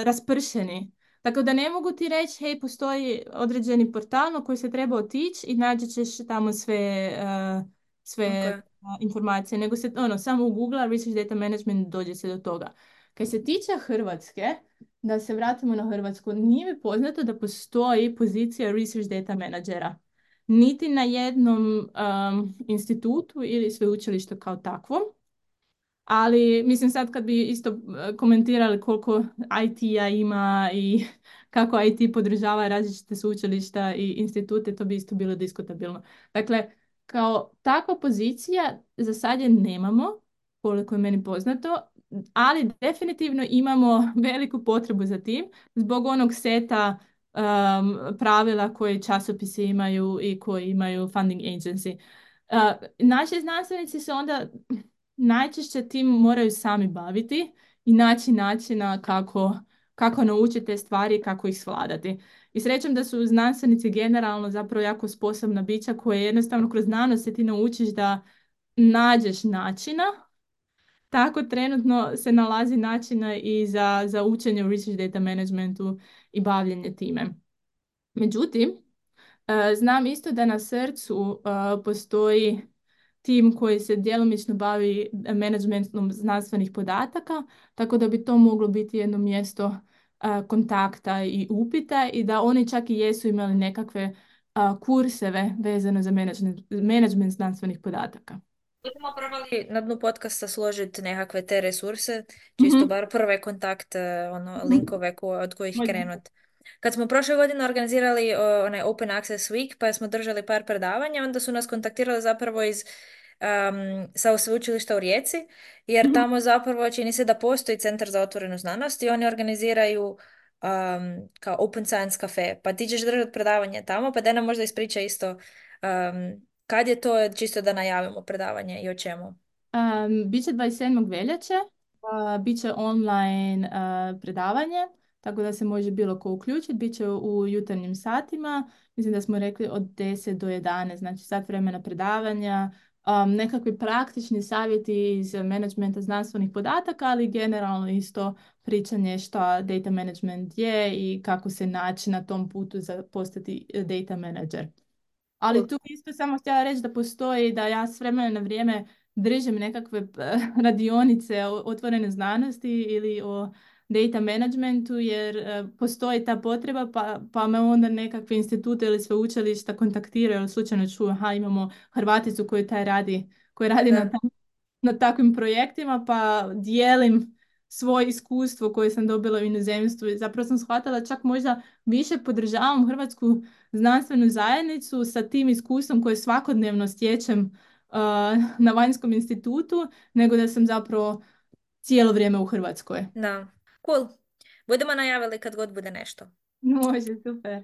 raspršeni. Tako da ne mogu ti reći, hej, postoji određeni portal na koji se treba otići i naći ćeš tamo sve ok. informacije. Nego se, samo u Google Research Data Management dođe se do toga. Kad se tiče Hrvatske, da se vratimo na Hrvatsku, nije mi poznato da postoji pozicija Research Data Managera. Niti na jednom institutu ili sveučilištu kao takvom. Ali mislim sad kad bi isto komentirali koliko IT-a ima i kako IT podržava različite sveučilišta i institute, to bi isto bilo diskutabilno. Dakle, kao takva pozicija za sad je nemamo, koliko je meni poznato, ali definitivno imamo veliku potrebu za tim zbog onog seta pravila koje časopisi imaju i koji imaju funding agency. Naši znanstvenici se onda najčešće tim moraju sami baviti i naći načina kako naučiti te stvari i kako ih svladati. I srećem da su znanstvenici generalno zapravo jako sposobna bića koje jednostavno kroz znanost se ti naučiš da nađeš načina. Tako trenutno se nalazi načina i za učenje u research data managementu i bavljenje time. Međutim, znam isto da na srcu postoji tim koji se djelomično bavi managementom znanstvenih podataka, tako da bi to moglo biti jedno mjesto kontakta i upita i da oni čak i jesu imali nekakve kurseve vezano za management znanstvenih podataka. Budemo probali na dnu podcasta složiti nekakve te resurse, čisto Mhm. bar prve kontakte, Mhm. linkove od kojih Može. krenut. Kad smo prošle godine organizirali onaj Open Access Week, pa smo držali par predavanja, onda su nas kontaktirali zapravo sa sveučilišta u Rijeci, jer Mhm. tamo zapravo čini se da postoji Centar za otvorenu znanost i oni organiziraju kao Open Science Cafe. Pa ti ćeš držati predavanje tamo, pa da nam možda ispriča isto kad je to, čisto da najavimo predavanje i o čemu? Biće 27. veljače, bit će online predavanje, tako da se može bilo ko uključiti. Biće u jutarnjim satima, mislim da smo rekli od 10 do 11, znači sat vremena predavanja, nekakvi praktični savjeti iz managementa znanstvenih podataka, ali generalno isto pričanje šta data management je i kako se naći na tom putu za postati data manager. Ali Cool. tu bi isto samo htjela reći da postoji da ja s vremena na vrijeme držim nekakve radionice o otvorene znanosti ili o data managementu jer postoji ta potreba pa me onda nekakve institute ili sveučilišta kontaktiraju ili slučajno čuju aha imamo Hrvaticu koja radi Da, na takvim projektima pa dijelim svoje iskustvo koje sam dobila u inozemstvu i zapravo sam shvatila čak možda više podržavam hrvatsku znanstvenu zajednicu sa tim iskustvom koje svakodnevno stječem na vanjskom institutu, nego da sam zapravo cijelo vrijeme u Hrvatskoj. da. Cool. Budemo najavili kad god bude nešto. Može, super.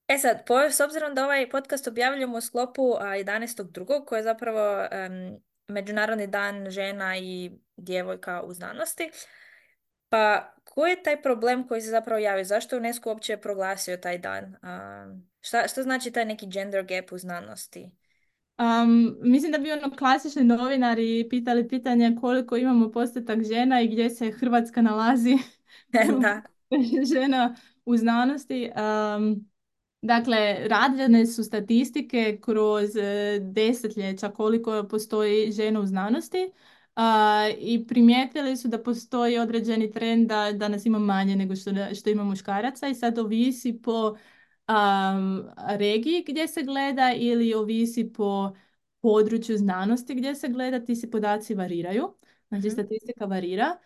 E sad, s obzirom da ovaj podcast objavljujemo u sklopu 11.2. koji je zapravo Međunarodni dan žena i djevojka u znanosti, pa koji je taj problem koji se zapravo javio? Zašto je UNESCO uopće proglasio taj dan? Šta znači taj neki gender gap u znanosti? Mislim da bi ono klasični novinari pitali pitanje koliko imamo postotak žena i gdje se Hrvatska nalazi Da. žena u znanosti. Dakle, rađene su statistike kroz desetljeća koliko postoji žena u znanosti, i primijetili su da postoji određeni trend da nas ima manje nego što ima muškaraca i sad ovisi po regiji gdje se gleda ili ovisi po području znanosti gdje se gleda, ti se podaci variraju, znači Mhm. statistika varira.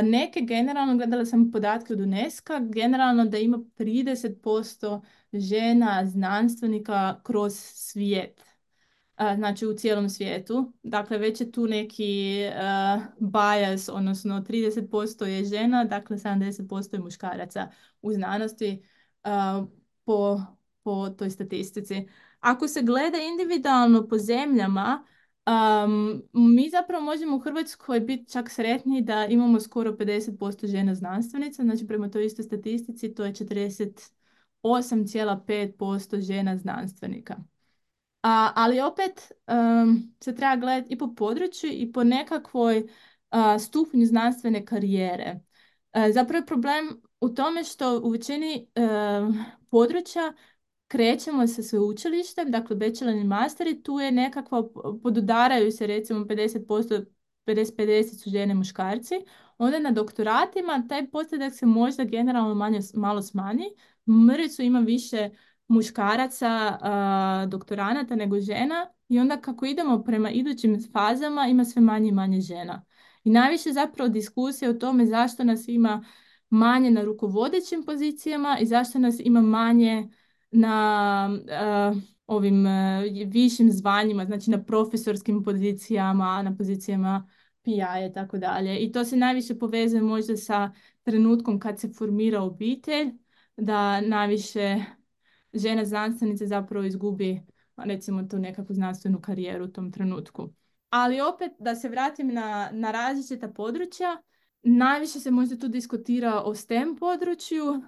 Neke generalno, gledala sam podatke od UNESCO-a, generalno da ima 30% žena znanstvenika kroz svijet, znači u cijelom svijetu. Dakle, već je tu neki bias, odnosno 30% je žena, dakle 70% je muškaraca u znanosti, po, po toj statistici. Ako se gleda individualno po zemljama, mi zapravo možemo u Hrvatskoj biti čak sretni da imamo skoro 50% žena znanstvenica, znači prema toj istoj statistici to je 48,5% žena znanstvenika. Ali opet se treba gledati i po području i po nekakvoj stupnju znanstvene karijere. Zapravo je problem u tome što u većini područja krećemo sa sveučilištem, dakle bachelor i master i tu je nekakva, podudaraju se recimo 50%, 50-50 su žene i muškarci. Onda na doktoratima taj postotak se možda generalno malo smanji. Mrvicu ima više muškaraca doktoranata nego žena i onda kako idemo prema idućim fazama ima sve manje i manje žena. I najviše zapravo diskusije o tome zašto nas ima manje na rukovodećim pozicijama i zašto nas ima manje na ovim višim zvanjima, znači na profesorskim pozicijama, na pozicijama PI i tako dalje. I to se najviše povezuje možda sa trenutkom kad se formira obitelj, da najviše žena znanstvenica zapravo izgubi recimo tu nekakvu znanstvenu karijeru u tom trenutku. Ali opet da se vratim na različita područja, najviše se možda tu diskutira o STEM području,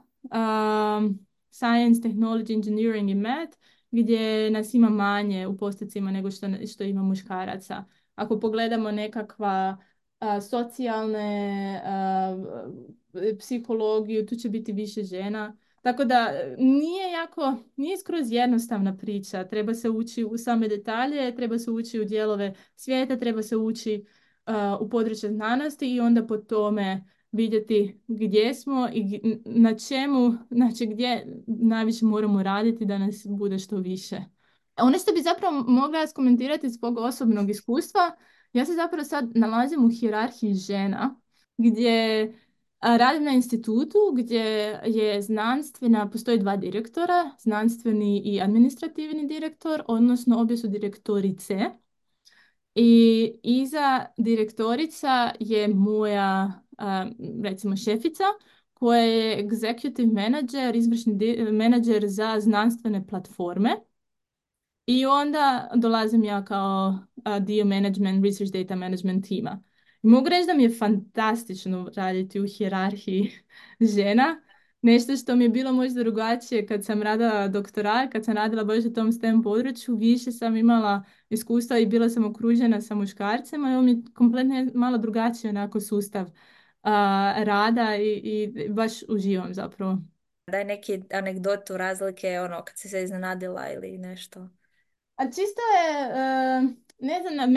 Science, Technology, Engineering i Math, gdje nas ima manje u postocima nego što ima muškaraca. Ako pogledamo nekakva socijalne, psihologiju, tu će biti više žena. Tako da nije skroz jednostavna priča. Treba se ući u same detalje, treba se ući u dijelove svijeta, treba se ući u područje znanosti i onda po tome vidjeti gdje smo i na čemu, znači gdje najviše moramo raditi da nas bude što više. Ono što bi zapravo mogla skomentirati iz svog osobnog iskustva, ja se zapravo sad nalazim u hijerarhiji žena, gdje radim na institutu gdje je postoji dva direktora, znanstveni i administrativni direktor, odnosno obje su direktorice. I iza direktorica je moja, recimo, šefica, koja je executive manager, izvršni menadžer za znanstvene platforme. I onda dolazim ja kao dio management, research data management tima. I mogu reći da mi je fantastično raditi u hijerarhiji žena. Nešto što mi je bilo možda drugačije kad sam radila doktorat, kad sam radila baš u tom STEM području, više sam imala iskustva i bila sam okružena sa muškarcima i ovo mi je kompletno malo drugačije onako sustav rada i baš uživam zapravo. Daj neki anegdotu razlike, ono, kad si se iznenadila ili nešto. A čisto je, ne znam,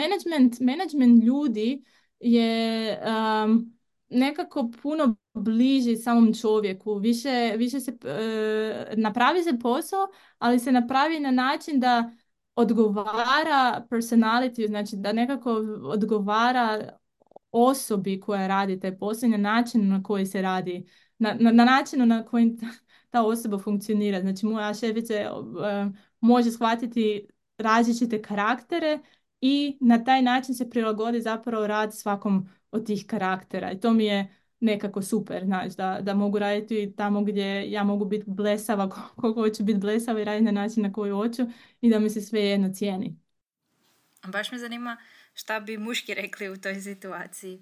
management ljudi je nekako puno bliži samom čovjeku. Više se napravi se posao, ali se napravi na način da odgovara personality, znači da nekako odgovara osobi koja radi taj posao i na način na koji se radi, na način na koji ta osoba funkcionira. Znači moja šefica može shvatiti različite karaktere i na taj način se prilagodi zapravo rad svakom od tih karaktera. I to mi je nekako super, znači, da mogu raditi tamo gdje ja mogu biti blesava koliko hoću biti blesava i raditi na način na koji hoću i da mi se sve jedno cijeni. Baš me zanima šta bi muški rekli u toj situaciji.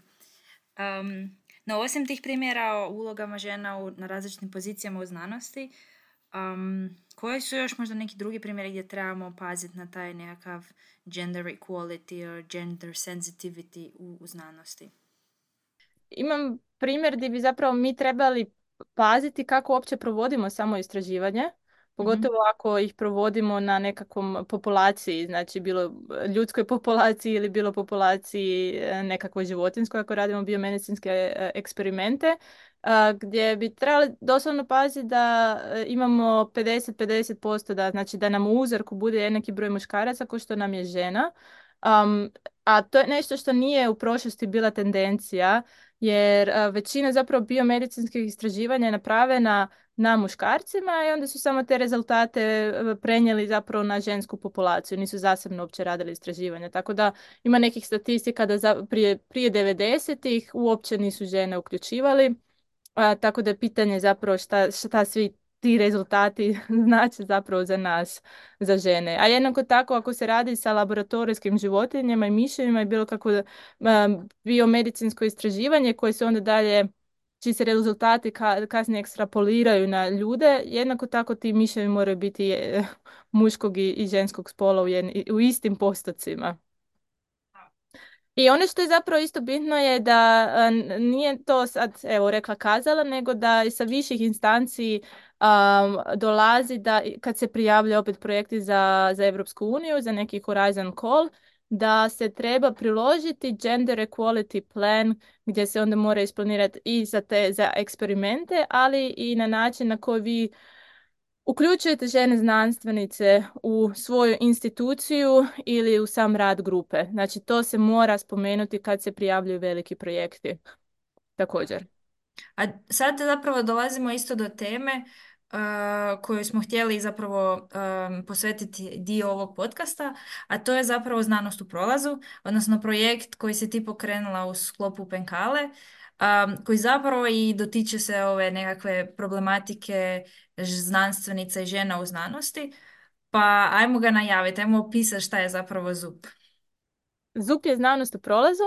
No, osim tih primjera o ulogama žena na različitim pozicijama u znanosti, Koji su još možda neki drugi primjeri gdje trebamo paziti na taj nekakav gender equality or gender sensitivity u znanosti? Imam primjer gdje bi zapravo mi trebali paziti kako uopće provodimo samo istraživanje, Mhm. pogotovo ako ih provodimo na nekakvom populaciji, znači bilo ljudskoj populaciji ili bilo populaciji nekakvoj životinskoj, ako radimo biomedicinske eksperimente, gdje bi trebali doslovno paziti da imamo 50-50%, da, znači da nam u uzorku bude jednaki broj muškaraca kao što nam je žena. A to je nešto što nije u prošlosti bila tendencija, jer većina zapravo biomedicinskih istraživanja je napravljena na muškarcima i onda su samo te rezultate prenijeli zapravo na žensku populaciju, nisu zasebno uopće radili istraživanja. Tako da ima nekih statistika da prije 90-ih uopće nisu žene uključivali, tako da je pitanje zapravo šta svi ti rezultati znači zapravo za nas, za žene. A jednako tako ako se radi sa laboratorijskim životinjama i miševima i bilo kako biomedicinsko istraživanje koje se onda dalje, čiji se rezultati kasnije ekstrapoliraju na ljude, jednako tako ti miševi moraju biti muškog i ženskog spola u istim postocima. I ono što je zapravo isto bitno je da nije to sad, evo, rekla kazala, nego da i sa viših instanci dolazi da kad se prijavljaju opet projekti za Europsku uniju, za neki Horizon Call, da se treba priložiti gender equality plan gdje se onda mora isplanirati i za eksperimente, ali i na način na koji vi uključujete žene znanstvenice u svoju instituciju ili u sam rad grupe. Znači, to se mora spomenuti kad se prijavljuju veliki projekti. Također. A sad zapravo dolazimo isto do teme koju smo htjeli zapravo posvetiti dio ovog podcasta, a to je zapravo znanost u prolazu, odnosno projekt koji se ti pokrenula u sklopu Penkale, koji zapravo i dotiče se ove nekakve problematike znanstvenica i žena u znanosti. Pa ajmo ga najaviti, ajmo opisati šta je zapravo ZUP. ZUP je znanost u prolazu.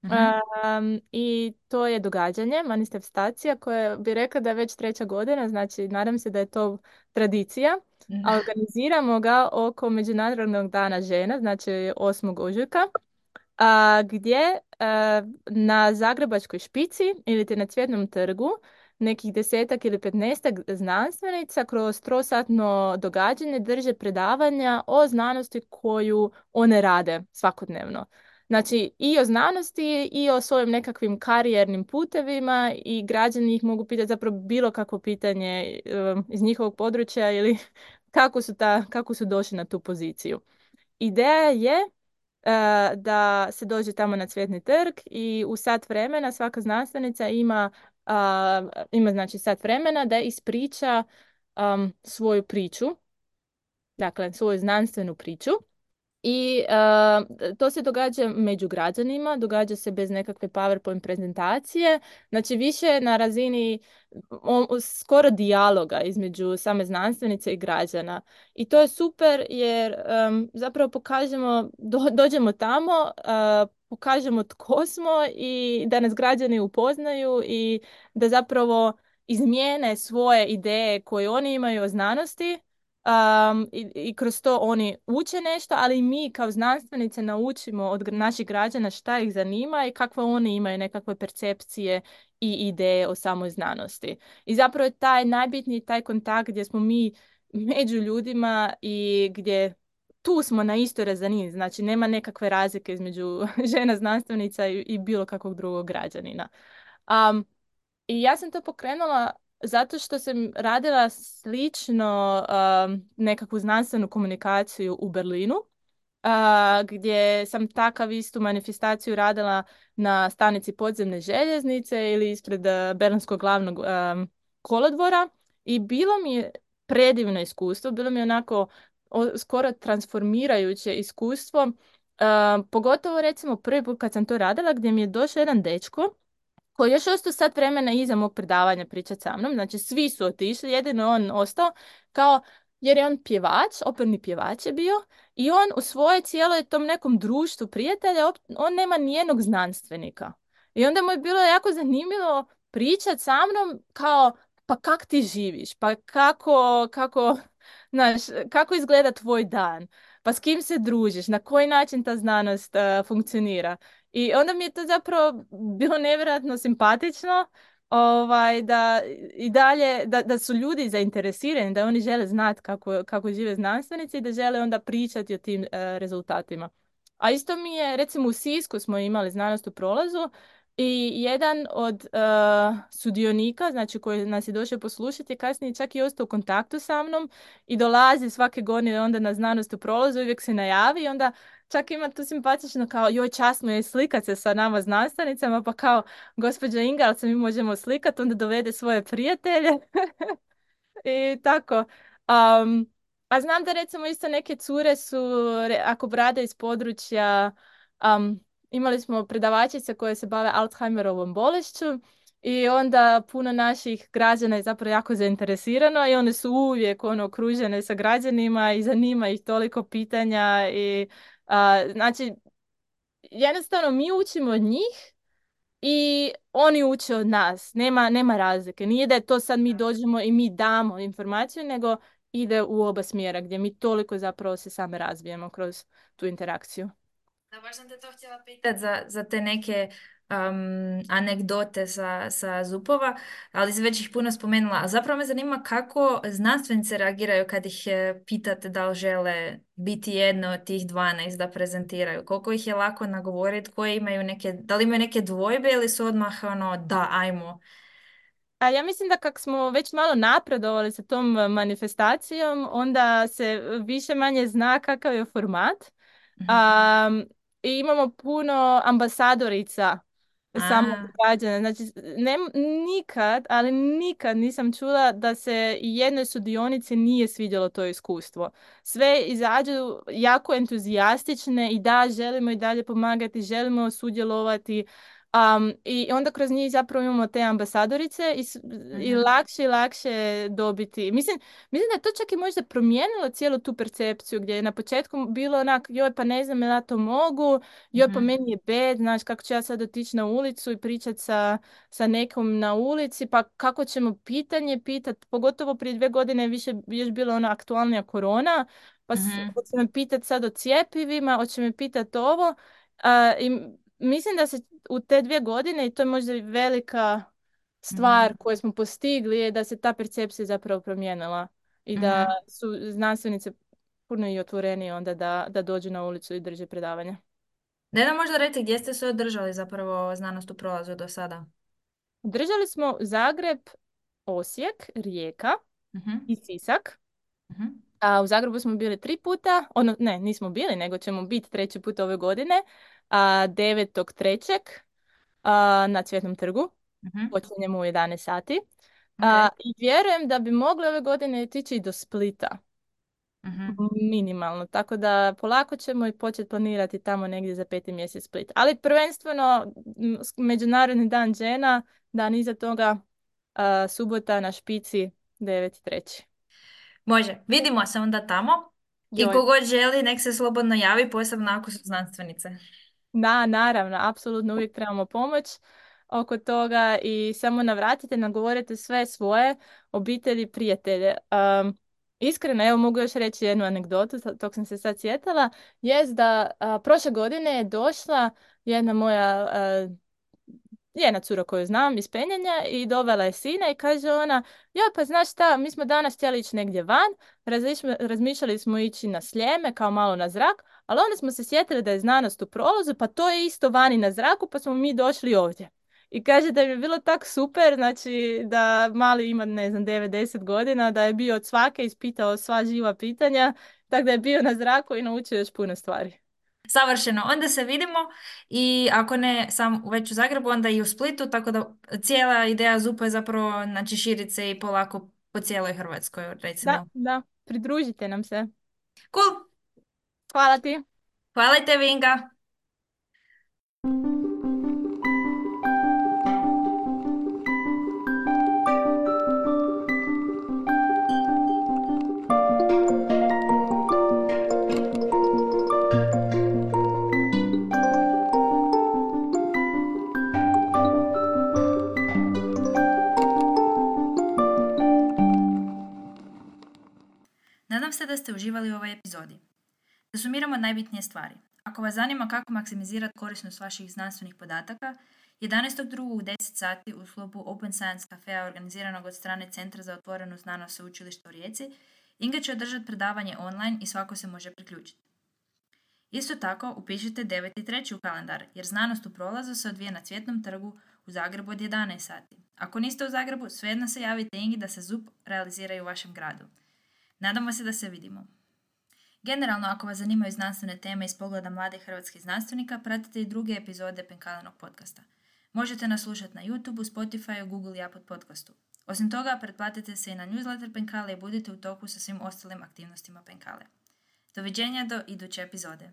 Mhm. I to je događanje, manifestacija koja bi rekla da je već 3. godina, znači nadam se da je to tradicija. A organiziramo ga oko Međunarodnog dana žena, znači 8. ožujka, gdje na Zagrebačkoj špici ili te na Cvjetnom trgu nekih 10 ili 15 znanstvenica kroz trosatno događanje drže predavanja o znanosti koju one rade svakodnevno. Znači i o znanosti i o svojim nekakvim karijernim putevima i građani ih mogu pitati zapravo bilo kakvo pitanje iz njihovog područja ili kako su došli na tu poziciju. Ideja je da se dođe tamo na Cvjetni trg i u sat vremena svaka znanstvenica ima znači sat vremena da ispriča svoju priču, dakle svoju znanstvenu priču. I to se događa među građanima, događa se bez nekakve PowerPoint prezentacije, znači više na razini skoro dijaloga između same znanstvenice i građana. I to je super jer zapravo dođemo tamo, pokažemo tko smo i da nas građani upoznaju i da zapravo izmijene svoje ideje koje oni imaju o znanosti. I kroz to oni uče nešto, ali i mi kao znanstvenice naučimo od naših građana šta ih zanima i kakve oni imaju nekakve percepcije i ideje o samoj znanosti. I zapravo je taj najbitniji taj kontakt gdje smo mi među ljudima i gdje tu smo na istoj razini, znači nema nekakve razlike između žena znanstvenica i bilo kakvog drugog građanina. I ja sam to pokrenula zato što sam radila slično nekakvu znanstvenu komunikaciju u Berlinu, gdje sam takav istu manifestaciju radila na stanici podzemne željeznice ili ispred Berlinskog glavnog kolodvora i bilo mi je predivno iskustvo, bilo mi je onako skoro transformirajuće iskustvo, pogotovo recimo prvi put kad sam to radila gdje mi je došao jedan dečko koji je još ostao sat vremena iza mog predavanja pričati sa mnom, znači svi su otišli, jedino je on ostao, jer je on pjevač, operni pjevač je bio, i on u svojoj cijeloj tom nekom društvu prijatelja, on nema nijednog znanstvenika. I onda mu je bilo jako zanimljivo pričati sa mnom kao pa kak ti živiš, pa znaš, kako izgleda tvoj dan, pa s kim se družiš, na koji način ta znanost funkcionira. I onda mi je to zapravo bilo nevjerojatno simpatično, da i dalje, da su ljudi zainteresirani, da oni žele znati kako žive znanstvenici i da žele onda pričati o tim rezultatima. A isto mi je, recimo u Sisku smo imali znanost u prolazu i jedan od sudionika, znači koji nas je došao poslušati, je kasnije čak i ostao u kontaktu sa mnom i dolazi svake godine onda na znanost u prolazu, uvijek se najavi i onda čak ima tu simpatično kao joj časno je slikat se sa nama znanstvenicama, pa kao gospođa Inga, ali se mi možemo slikati, onda dovede svoje prijatelje. I tako. Um, a znam da recimo isto neke cure su, ako rade iz područja, imali smo predavačice koje se bave Alzheimerovom bolešću i onda puno naših građana je zapravo jako zainteresirano i one su uvijek okružene sa građanima i zanima ih toliko pitanja i znači jednostavno mi učimo od njih i oni uče od nas. Nema razlike. Nije da je to sad mi dođemo i mi damo informaciju, nego ide u oba smjera gdje mi toliko zapravo se same razvijemo kroz tu interakciju. Da, baš sam te to htjela pitati za te neke anegdote sa ZUP-ova, ali si već ih puno spomenula. A zapravo me zanima kako znanstvenice reagiraju kad ih pitate da li žele biti jedno od tih 12 da prezentiraju. Koliko ih je lako nagovoriti, koje imaju neke, da li imaju neke dvojbe ili su odmah ono, da, ajmo. A ja mislim da kak smo već malo napredovali sa tom manifestacijom, onda se više manje zna kakav je format. Mhm. I imamo puno ambasadorica samog A, građana. Znači, nikad, ali nikad nisam čula da se i jednoj sudionici nije svidjelo to iskustvo. Sve izađu jako entuzijastične i da, želimo i dalje pomagati, želimo sudjelovati. I onda kroz njih zapravo imamo te ambasadorice i mhm, lakše i lakše dobiti. Mislim da je to čak i možda promijenilo cijelu tu percepciju gdje je na početku bilo onak, joj pa ne znam ja to mogu, joj pa mhm, meni je bed, znaš kako ću ja sad otići na ulicu i pričati sa nekom na ulici, pa kako ćemo pitanje pitati, pogotovo prije 2 godine je više još bila ona aktualnija korona, pa mhm, hoće me pitati sad o cjepivima, hoće me pitati ovo. I mislim da se u te 2 godine, i to je možda i velika mhm, stvar koju smo postigli, je da se ta percepcija zapravo promijenila i da mhm. su znanstvenice puno i otvorenije onda da dođu na ulicu i drže predavanja. Da nam možda reći gdje ste se održali zapravo znanost u prolazu do sada? Držali smo Zagreb, Osijek, Rijeka Mhm, i Sisak. mhm, A u Zagrebu smo bili 3 puta, ne, nismo bili, nego ćemo biti 3. put ove godine, 9.3. Na Cvjetnom trgu. mhm. Počinjemo u 11 sati. Ok. I vjerujem da bi mogli ove godine otići i do Splita. Mhm. Minimalno. Tako da polako ćemo i početi planirati tamo negdje za 5. mjesec Split. Ali prvenstveno Međunarodni dan žena, dan iza toga subota na špici 9.3. Može, vidimo se onda tamo i Joj. kogod želi nek se slobodno javi, posebno ako su znanstvenice. Da, naravno, apsolutno uvijek trebamo pomoć oko toga i samo navratite, nagovorite sve svoje obitelji, prijatelje. Iskreno, evo mogu još reći jednu anegdotu, tog sam se sad sjetila, jest da prošle godine je došla jedna moja jedna cura koju znam iz penjanja i dovela je sina i kaže ona, ja pa znaš šta, mi smo danas htjeli ići negdje van, razmišljali smo ići na Sljeme kao malo na zrak, ali onda smo se sjetili da je znanost u prolazu, pa to je isto vani na zraku, pa smo mi došli ovdje. I kaže da je bilo tak super, znači da mali ima, ne znam, 9-10 godina, da je bio od svake ispitao sva živa pitanja, tako da je bio na zraku i naučio još puno stvari. Savršeno, onda se vidimo i ako ne sam već u Zagrebu, onda i u Splitu, tako da cijela ideja ZUP-a je zapravo znači, širit se i polako po cijeloj Hrvatskoj, Da, recimo. da, pridružite nam se. Cool, Hvala ti. hvala i tebi Inga. uživali u ovoj epizodi. Da sumiramo najbitnije stvari. Ako vas zanima kako maksimizirati korisnost vaših znanstvenih podataka, 11.2. u 10 sati u sklopu Open Science Cafea organiziranog od strane Centra za otvorenu znanost Sveučilišta u Rijeci, Inga će održati predavanje online i svako se može priključiti. Isto tako, upišite 9.3. u kalendar, jer znanost u prolazu se odvija na Cvjetnom trgu u Zagrebu od 11 sati. Ako niste u Zagrebu, svejedno se javite Ingi da se ZUP realizira u vašem gradu. Nadamo se da se vidimo. Generalno, ako vas zanimaju znanstvene teme iz pogleda mladih hrvatskih znanstvenika, pratite i druge epizode Penkalenog podcasta. Možete nas slušati na YouTube, Spotify, Google i Apple podcastu. Osim toga, pretplatite se i na newsletter Penkale i budite u toku sa svim ostalim aktivnostima Penkale. Doviđenja do iduće epizode.